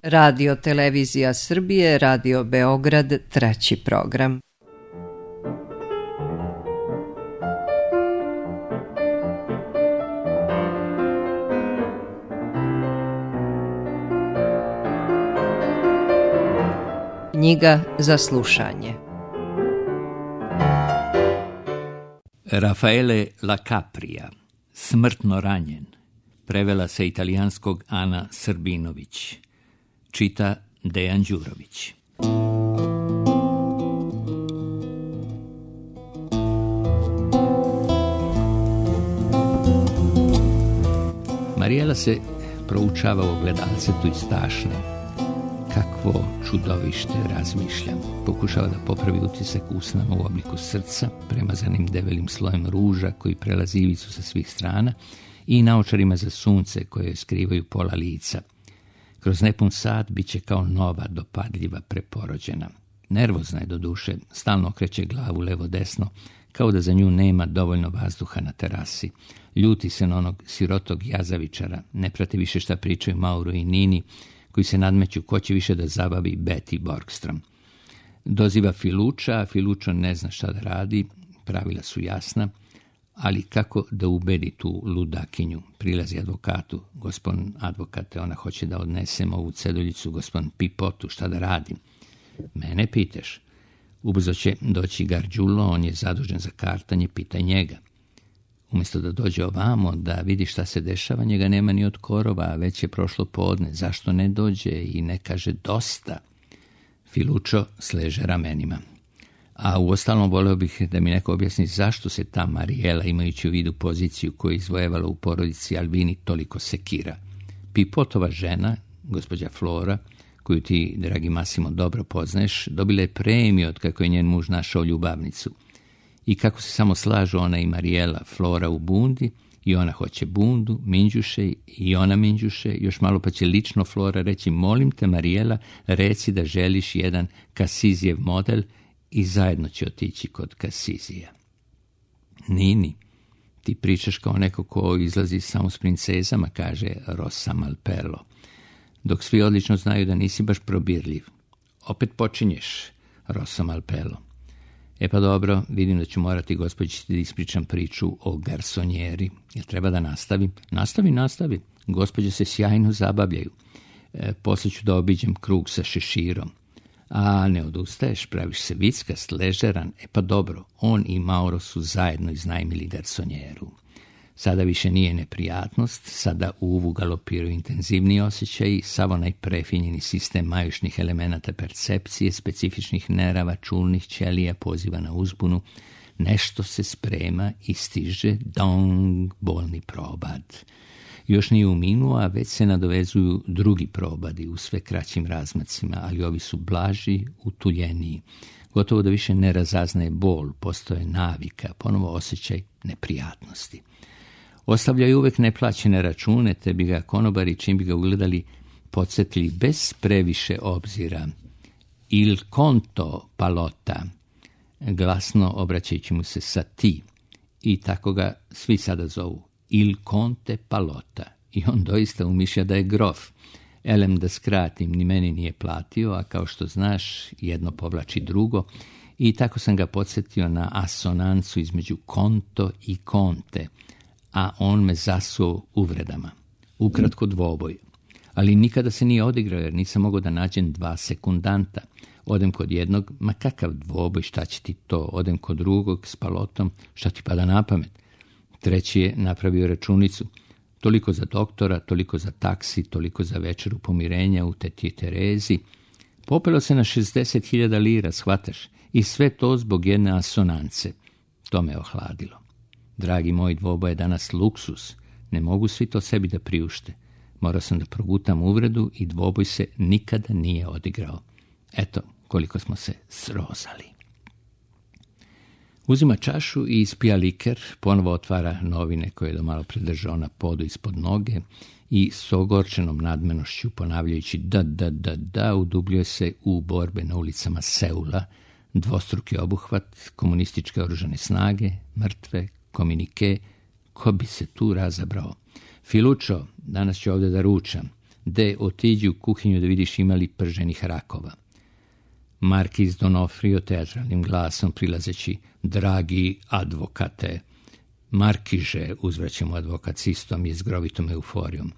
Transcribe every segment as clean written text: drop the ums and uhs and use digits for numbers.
Radio Televizija Srbije, Radio Beograd, 3. program. Knjiga za slušanje. Raffaele La Capria, Smrtno ranjen. Prevela sa italijanskog Ana Srbinović. Čita Dejan Đurović. Marijela se proučava u ogledalcetu i stašne. Kakvo čudovište, razmišljam. Pokušava da popravi utisak usnama u obliku srca, premazanim debelim slojem ruža koji prelazi ivicu sa svih strana i naočarima za sunce koje skrivaju pola lica. Kroz nepun sat bit će kao nova, dopadljiva, preporođena. Nervozna je do duše, stalno okreće glavu levo-desno, kao da za nju nema dovoljno vazduha na terasi. Ljuti se na onog sirotog jazavičara, ne prati više šta pričaju Mauro i Nini, koji se nadmeću ko će više da zabavi Betty Borgstrom. Doziva Filuča, a Filučo ne zna šta da radi, pravila su jasna, ali kako da ubedi tu ludakinju? Prilazi advokatu. Gospodin advokate, ona hoće da odnesem ovu ceduljicu gospodin Pipotu, šta da radim? Mene pitaš? Ubrzo će doći Garđulo, on je zadužen za kartanje, pitaj njega. Umjesto da dođe ovamo, da vidi šta se dešava, njega nema ni od korova, a već je prošlo podne. Zašto ne dođe i ne kaže dosta? Filučo sleže ramenima. A uostalom voleo bih da mi neko objasni zašto se ta Marijela, imajući u vidu poziciju koju je izvojevala u porodici Albini, toliko sekira. Pipotova žena, gospođa Flora, koju ti, dragi Massimo, dobro poznaješ, dobila je premiju od kako je njen muž našao ljubavnicu. I kako se samo slažu ona i Marijela, Flora u bundi, i ona hoće bundu, Minđuše, i ona Minđuše, još malo pa će lično Flora reći, molim te Marijela, reci da želiš jedan Kasizijev model, i zajedno će otići kod Kasizija. Nini, ti pričaš kao neko ko izlazi samo s princezama, kaže Rosa Malpelo, dok svi odlično znaju da nisi baš probirljiv. Opet počinješ, Rosa Malpelo. E pa dobro, vidim da ću morati gospođici da ispričam priču o garsonjeri. Jel treba da nastavim? Nastavi. Gospođe se sjajno zabavljaju. Poslije ću da obiđem krug sa šeširom. A ne odustaješ, praviš se vickast, ležeran. E pa dobro, on i Mauro su zajedno iznajmili garsonjeru. Sada više nije neprijatnost, sada u uvu galopiraju intenzivniji osjećaji, sav onaj prefinjeni sistem majušnih elemenata percepcije, specifičnih nerava, čulnih ćelija poziva na uzbunu. Nešto se sprema i stiže, dong, bolni probad. Još nije uminuo, a već se nadovezuju drugi probadi u sve kraćim razmacima, ali ovi su blaži, utuljeniji. Gotovo da više ne razaznaje bol, postoje navika, ponovo osjećaj neprijatnosti. Ostavljaju uvek neplaćene račune, te bi ga konobari, čim bi ga ugledali, podsjetili bez previše obzira. Il conto Palota, glasno obraćajući mu se sa ti, i tako ga svi sada zovu. Il Conte Palota. I on doista umišlja da je grof. Elem, da skratim, ni meni nije platio, a kao što znaš, jedno povlači drugo, i tako sam ga podsjetio na asonancu između konto i konte, a on me zasuo uvredama. Ukratko dvoboj. Ali nikada se nije odigrao, jer nisam mogao da nađem 2 sekundanta. Odem kod jednog, ma kakav dvoboj, šta će ti to? Odem kod drugog s Palotom, šta ti pada na pamet? Treći je napravio računicu. Toliko za doktora, toliko za taksi, toliko za večeru pomirenja u teti Terezi. Popelo se na 60.000 lira, shvataš? I sve to zbog jedne asonance. To me ohladilo. Dragi moj, dvoboj je danas luksus. Ne mogu svi to sebi da priušte. Morao sam da progutam uvredu i dvoboj se nikada nije odigrao. Eto koliko smo se srozali. Uzima čašu i ispija liker, ponovo otvara novine koje je do malo predržao na podu ispod noge i s ogorčenom nadmenošću ponavljajući da, udubljuje se u borbe na ulicama Seula, dvostruki obuhvat, komunističke oružane snage, mrtve, komunike, ko bi se tu razabrao. Filučo, danas ću ovdje da ručam. de otiđi u kuhinju da vidiš imali prženih rakova. Markiz Donofrio teatralnim glasom prilazeći, dragi advokate, Markiže, uzvraća mu advokat s istom i zgrovitom euforijom.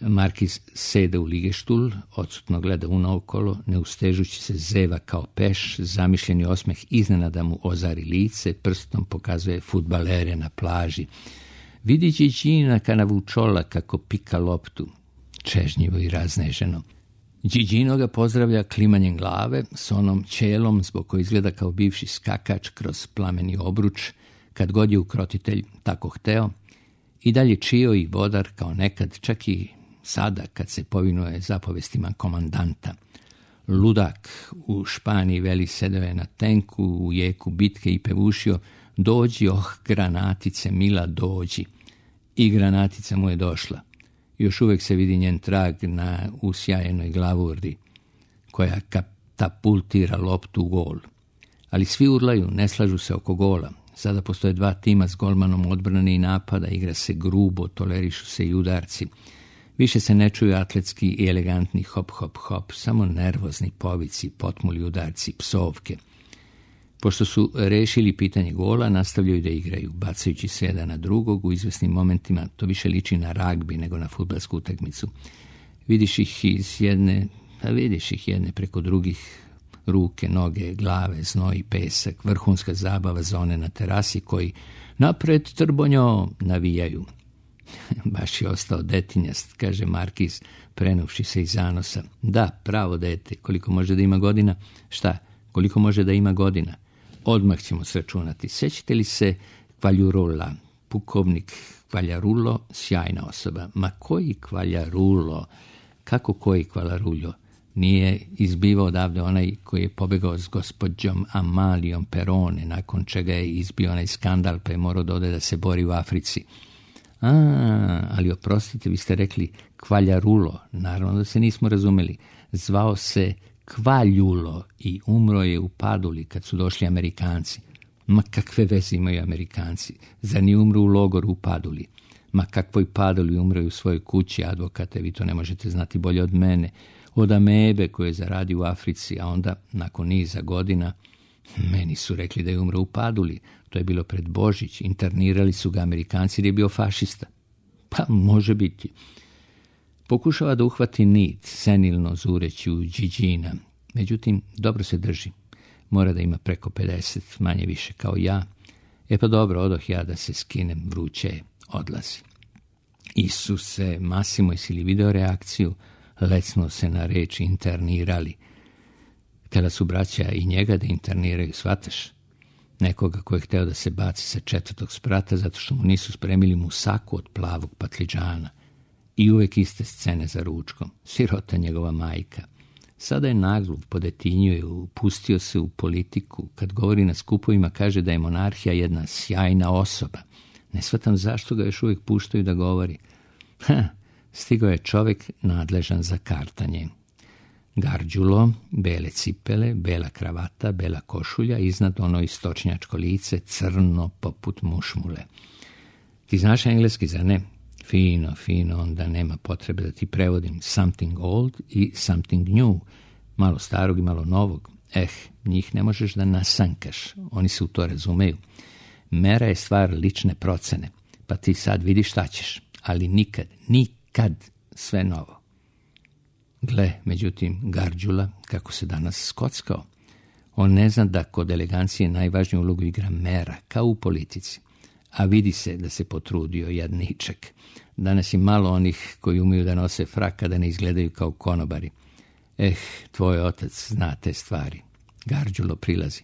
Markiz sede u ligeštul, odsutno gleda unaokolo, ne ustežući se zeva kao peš, zamišljeni osmeh iznenada mu ozari lice, prstom pokazuje fudbalere na plaži. Vidi Điđina Kanavučola kako pika loptu, čežnjivo i razneženo. Điđino ga pozdravlja klimanjem glave s onom ćelom zbog koji izgleda kao bivši skakač kroz plameni obruč, kad god je ukrotitelj tako hteo, i dalje čio i vodar kao nekad, čak i sada kad se povinuje zapovestima komandanta. Ludak u Španiji veli sedeo je na tenku u jeku bitke i pevušio, dođi, granatice, mila, dođi. I granatica mu je došla. Još uvijek se vidi njen trag na usjajenoj glavurdi, koja katapultira loptu u gol. Ali svi urlaju, ne slažu se oko gola. Sada postoje dva tima s golmanom odbrane i napada, igra se grubo, tolerišu se i udarci. Više se ne čuju atletski i elegantni hop, hop, hop, samo nervozni povici, potmuli udarci, psovke. Pošto su rešili pitanje gola, nastavljaju da igraju, bacajući se jedan na drugog. U izvesnim momentima to više liči na ragbi nego na fudbalsku utakmicu. Vidiš ih jedne preko drugih, ruke, noge, glave, znoj, pesak, vrhunska zabava za one na terasi koji napred trbonjo navijaju. Baš je ostao detinjast, kaže Markiz, prenuvši se iz zanosa. Da, pravo dete, koliko može da ima godina? Šta, koliko može da ima godina? Odmah ćemo sračunati. Sećate li se Kvaljarulla, pukovnik Kvaljarulo, sjajna osoba. Ma koji Kvaljarulo? Kako koji Kvaljarullo? Nije izbivao odavde onaj koji je pobegao s gospođom Amalijom Perone, nakon čega je izbio onaj skandal pa je morao da ode da se bori u Africi. Ali oprostite, vi ste rekli Kvaljarulo. Naravno da se nismo razumeli. Zvao se Kvaljulo i umro je u Paduli kad su došli Amerikanci. Ma kakve veze imaju Amerikanci? Zar ni umru u logoru u Paduli? Ma kakvoj Paduli umre u svojoj kući, advokate, vi to ne možete znati bolje od mene. Od amebe koje je zaradio u Africi, a onda, nakon niza godina, meni su rekli da je umro u Paduli. To je bilo pred Božić. Internirali su ga Amerikanci jer je bio fašista. Pa može biti. Pokušava da uhvati nit, senilno zureći u Điđina. Međutim, dobro se drži. Mora da ima preko 50, manje više kao ja. Pa dobro, odoh ja da se skinem, vruće, odlazi. Isuse, Masimo, jesi li video reakciju? Lecno se na reč internirali. Kada su braća i njega da interniraju, shvataš? Nekoga ko je hteo da se baci sa 4. sprata zato što mu nisu spremili musaku od plavog patliđana. I uvek iste scene za ručkom. Sirota njegova majka. Sada je naglup, podetinjuje, upustio se u politiku. Kad govori na skupovima, kaže da je monarhija jedna sjajna osoba. Ne shvatam zašto ga još uvijek puštaju da govori. Stigao je čovjek nadležan za kartanje. Garđulo, bele cipele, bela kravata, bela košulja, iznad ono istočnjačko lice, crno poput mušmule. Ti znaš engleski, zar ne? Fino, onda nema potrebe da ti prevodim. Something old i something new. Malo starog i malo novog. Njih ne možeš da nasankaš. Oni se u to razumeju. Mera je stvar lične procene. Pa ti sad vidiš šta ćeš. Ali nikad sve novo. Gle, međutim, Garđula, kako se danas skockao. On ne zna da kod elegancije najvažniju ulogu igra mera, kao u politici. A vidi se da se potrudio jadničak. Danas je malo onih koji umeju da nose frak kada ne izgledaju kao konobari. Tvoj otac zna te stvari. Garđulo prilazi.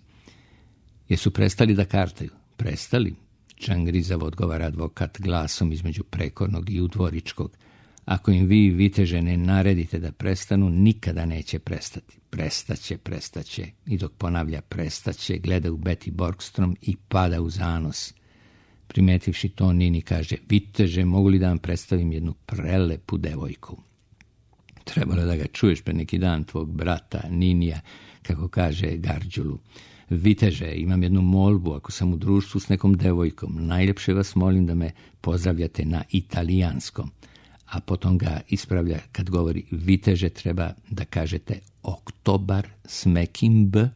Jesu prestali da kartaju? Prestali? Čangrizavo odgovara advokat glasom između prekornog i udvoričkog. Ako im vi, viteže, ne naredite da prestanu, nikada neće prestati. Prestaće. I dok ponavlja prestaće, gleda u Betty Borgstrom i pada u zanos. Primetivši to, Nini kaže, viteže, mogu li da vam predstavim jednu prelepu devojku? Trebalo da ga čuješ pre neki dan, tvog brata Ninija, kako kaže Garđulu. Viteže, imam jednu molbu, ako sam u društvu s nekom devojkom, najljepše vas molim da me pozdravljate na italijanskom. a potom ga ispravlja kad govori viteže, treba da kažete oktobar s mekim b,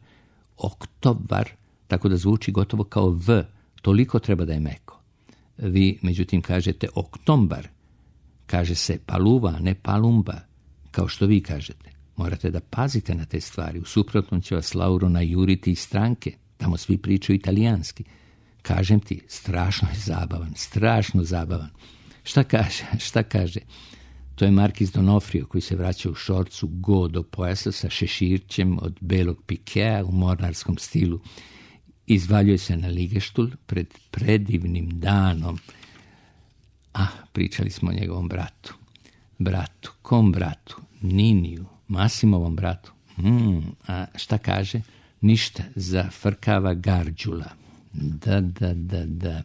oktobar, tako da zvuči gotovo kao v, toliko treba da je meko. Vi, međutim, kažete oktombar, kaže se paluva, ne palumba, kao što vi kažete. Morate da pazite na te stvari, u suprotnom će vas Lauro najuriti iz stranke, tamo svi pričaju italijanski. Kažem ti, strašno je zabavan, strašno zabavan. Šta kaže? To je Markiz Donofrio koji se vraća u šorcu go do pojasa sa šeširćem od belog pikea u mornarskom stilu. Izvaljuje se na ligeštul pred predivnim danom. Pričali smo o njegovom bratu. Kom bratu? Niniju, Masimovom bratu. A šta kaže? Ništa, zafrkava Garđula. Da.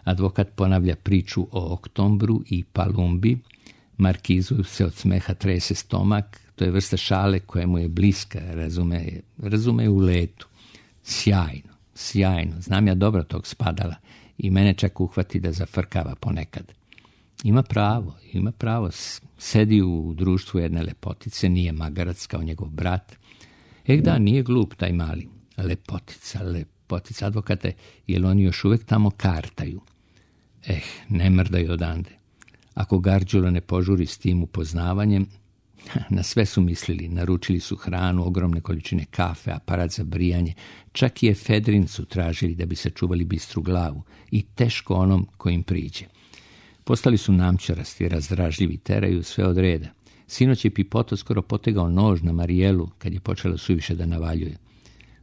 Advokat ponavlja priču o Oktombru i Palumbi. Markizu se od smeha trese stomak. To je vrsta šale koja mu je bliska, razume u letu. Sjajno. Znam ja dobro tog Spadala i mene čak uhvati da zafrkava ponekad. Ima pravo. Sedi u društvu jedne lepotice, nije magarac kao njegov brat. Da, nije glup taj mali. Lepotica. Advokate, jer oni još uvek tamo kartaju. Ne mrdaju odande. Ako Garđulo ne požuri s tim upoznavanjem, na sve su mislili, naručili su hranu, ogromne količine kafe, aparat za brijanje, čak i efedrin su tražili da bi sačuvali bistru glavu i teško onom kojim priđe. Postali su namčarasti, razdražljivi, teraju sve od reda. Sinoć je Pipoto skoro potegao nož na Marijelu kad je počela suviše da navaljuje.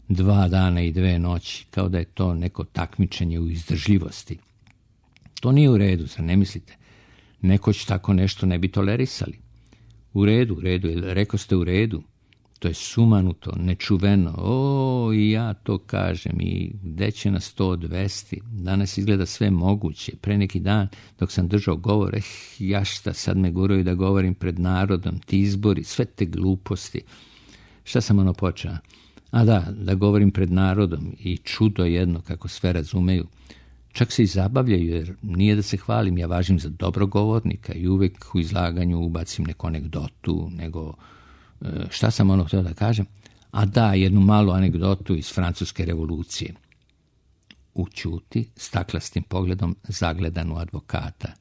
2 dana i 2 noći, kao da je to neko takmičenje u izdržljivosti. To nije u redu, zar ne mislite? Nekoć tako nešto ne bi tolerisali. U redu, rekao ste u redu. To je sumanuto, nečuveno. I ja to kažem. I gde će na 100-200? Danas izgleda sve moguće. Pre neki dan, dok sam držao govor, šta sad me guraju da govorim pred narodom, ti izbori, sve te gluposti. Šta sam počeo? Da govorim pred narodom i čudo jedno kako sve razumeju. Čak se i zabavljaju, jer nije da se hvalim, ja važim za dobrogovornika i uvek u izlaganju ubacim neku anegdotu, nego šta sam htio da kažem? Jednu malu anegdotu iz Francuske revolucije. Ućuti, staklastim pogledom zagledan u advokata.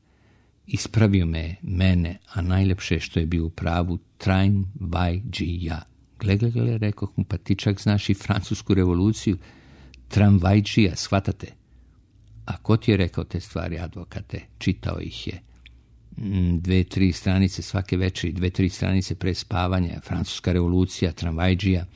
Ispravio mene, a najlepše što je bio u pravu, train vai ja. Gle, rekoh mu, pa ti čak znaš i Francusku revoluciju, tramvajđija, shvatate? A ko ti je rekao te stvari, advokate? Čitao ih je. 2-3 stranice svake večeri, 2-3 stranice pre spavanja, Francuska revolucija, tramvajđija.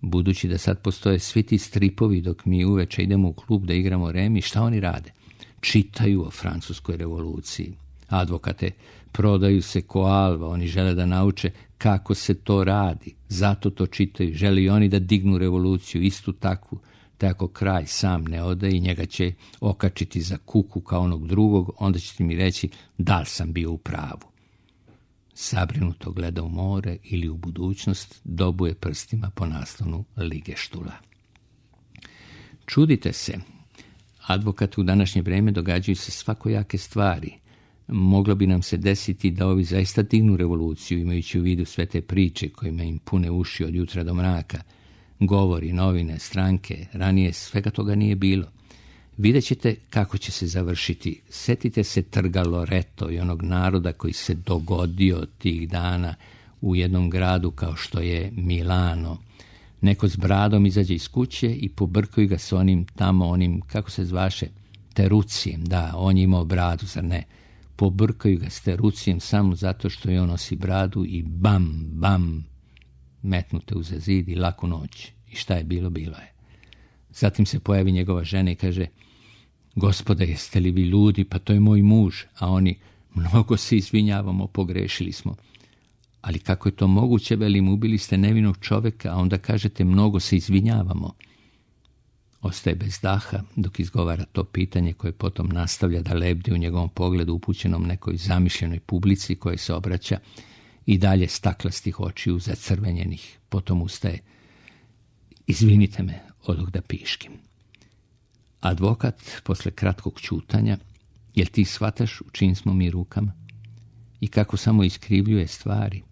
Budući da sad postoje svi ti stripovi dok mi uveče idemo u klub da igramo remi, šta oni rade? Čitaju o Francuskoj revoluciji. Advokate, prodaju se ko alva, oni žele da nauče kako se to radi. Zato to čitaju, žele i oni da dignu revoluciju, istu takvu. Te ako kralj sam ne ode i njega će okačiti za kuku kao onog drugog, onda ćete mi reći da li sam bio u pravu. Zabrinuto gleda u more ili u budućnost, dobuje prstima po naslonu ligeštula. Čudite se, advokatu u današnje vreme događaju se svakojake stvari. Moglo bi nam se desiti da ovi zaista dignu revoluciju, imajući u vidu sve te priče kojima im pune uši od jutra do mraka. Govori, novine, stranke, ranije svega toga nije bilo. Vidjet ćete kako će se završiti. Setite se trga Loreto i onog naroda koji se dogodio tih dana u jednom gradu kao što je Milano. Neko s bradom izađe iz kuće i pobrkaju ga s onim, kako se zvaše, Terucijem. Da, on je imao bradu, zar ne? Pobrkaju ga s Terucijem samo zato što je on nosi bradu i bam, metnute uza zid i laku noć. I šta je bilo, bilo je. Zatim se pojavi njegova žena i kaže: Gospode, jeste li vi ljudi, pa to je moj muž. A oni: mnogo se izvinjavamo, pogrešili smo. Ali kako je to moguće, velim, ubili ste nevinog čoveka, a onda kažete mnogo se izvinjavamo. Ostaje bez daha dok izgovara to pitanje koje potom nastavlja da lebdi u njegovom pogledu upućenom nekoj zamišljenoj publici koje se obraća i dalje staklastih očiju zacrvenjenih. Potom ustaje: izvinite me, odoh da piškim. Advokat, posle kratkog ćutanja: jel ti shvataš u čijim smo mi rukama? i kako samo iskrivljuje stvari.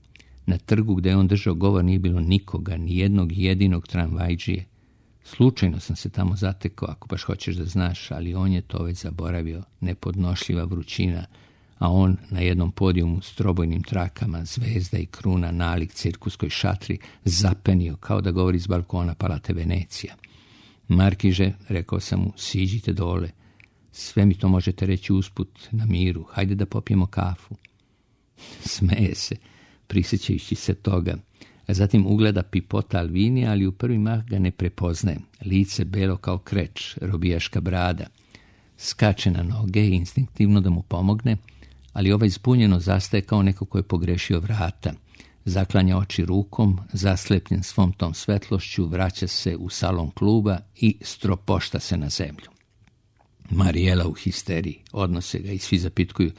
Na trgu gdje je on držao govor nije bilo nikoga, ni jednog jedinog tramvajđije. Slučajno sam se tamo zatekao, ako baš hoćeš da znaš, ali on je to već zaboravio, nepodnošljiva vrućina, a on na jednom podijumu s trobojnim trakama, zvezda i kruna nalik cirkuskoj šatri, zapenio kao da govori s balkona Palate Venecija. Markiže, rekao sam mu, siđite dole, sve mi to možete reći usput, na miru, hajde da popijemo kafu. Smeje se, prisjećajući se toga, a zatim ugleda Pipota Alvinija, ali u prvi mah ga ne prepoznaje. Lice belo kao kreč, robijaška brada. Skače na noge i instinktivno da mu pomogne, ali ovaj zbunjeno zastaje kao neko ko je pogrešio vrata. Zaklanja oči rukom, zaslepljen svom tom svetlošću, vraća se u salon kluba i stropošta se na zemlju. Marijela u histeriji, odnose ga i svi zapitkuju,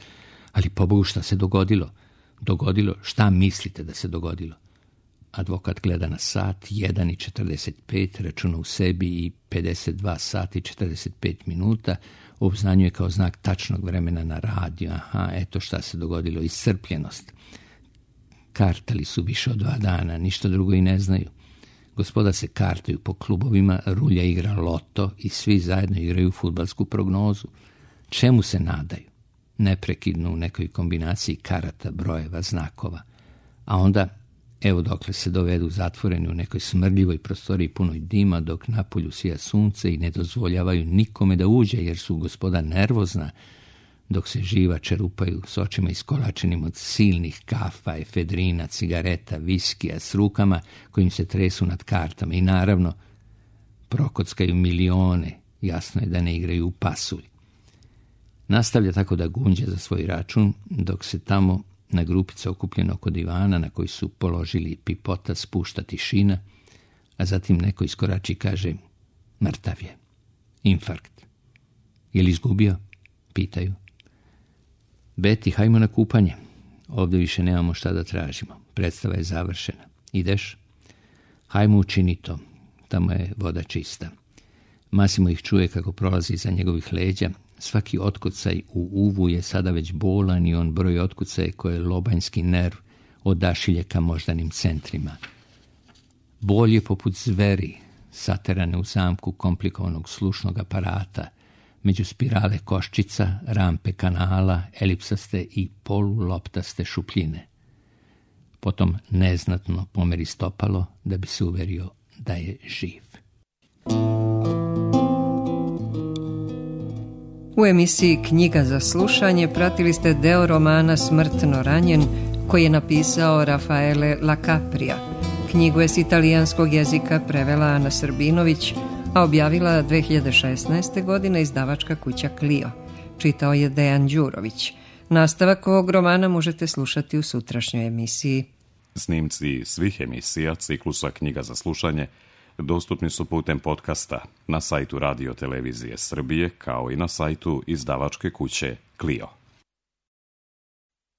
ali pobogu šta se dogodilo? Dogodilo? Šta mislite da se dogodilo? Advokat gleda na sat, 1:45, računa u sebi i 52 sati 45 minuta, obznanjuje kao znak tačnog vremena na radiju. Aha, eto šta se dogodilo, iscrpljenost. Kartali su više od 2 dana, ništa drugo i ne znaju. Gospoda se kartaju po klubovima, Rulja igra loto i svi zajedno igraju fudbalsku prognozu. Čemu se nadaju? Neprekidno u nekoj kombinaciji karata, brojeva, znakova. A onda, evo dokle se dovedu zatvoreni u nekoj smrdljivoj prostoriji punoj dima, dok napolju sija sunce i ne dozvoljavaju nikome da uđe, jer su gospoda nervozna, dok se živa čerupaju s očima iskolačenim od silnih kafa, efedrina, cigareta, viskija, s rukama kojim se tresu nad kartama i naravno prokockaju milione, jasno je da ne igraju u pasulj. Nastavlja tako da gunđe za svoj račun, dok se tamo na grupica okupljena oko divana na koji su položili Pipota spušta tišina, a zatim neko iskorači i kaže, mrtav je, infarkt. Je li izgubio? Pitaju. Beti, hajmo na kupanje. Ovdje više nemamo šta da tražimo. Predstava je završena. Ideš? Hajmo učini to. Tamo je voda čista. Masimo ih čuje kako prolazi iza njegovih leđa. Svaki otkucaj u uvu je sada već bolan i on broj otkucaje koje lobanjski nerv odašilje ka moždanim centrima. Bol je poput zveri, saterane u zamku komplikovanog slušnog aparata, među spirale koščica, rampe kanala, elipsaste i poluloptaste šupljine. Potom neznatno pomeri stopalo da bi se uverio da je živ. U emisiji Knjiga za slušanje pratili ste deo romana Smrtno ranjen koji je napisao Rafaele Lacaprija. Knjigu je s italijanskog jezika prevela Ana Srbinović, a objavila 2016. godine izdavačka kuća Clio. Čitao je Dejan Đurović. Nastavak ovog romana možete slušati u sutrašnjoj emisiji. Snimci svih emisija ciklusa Knjiga za slušanje dostupni su putem podcasta na sajtu Radio Televizije Srbije kao i na sajtu izdavačke kuće Clio.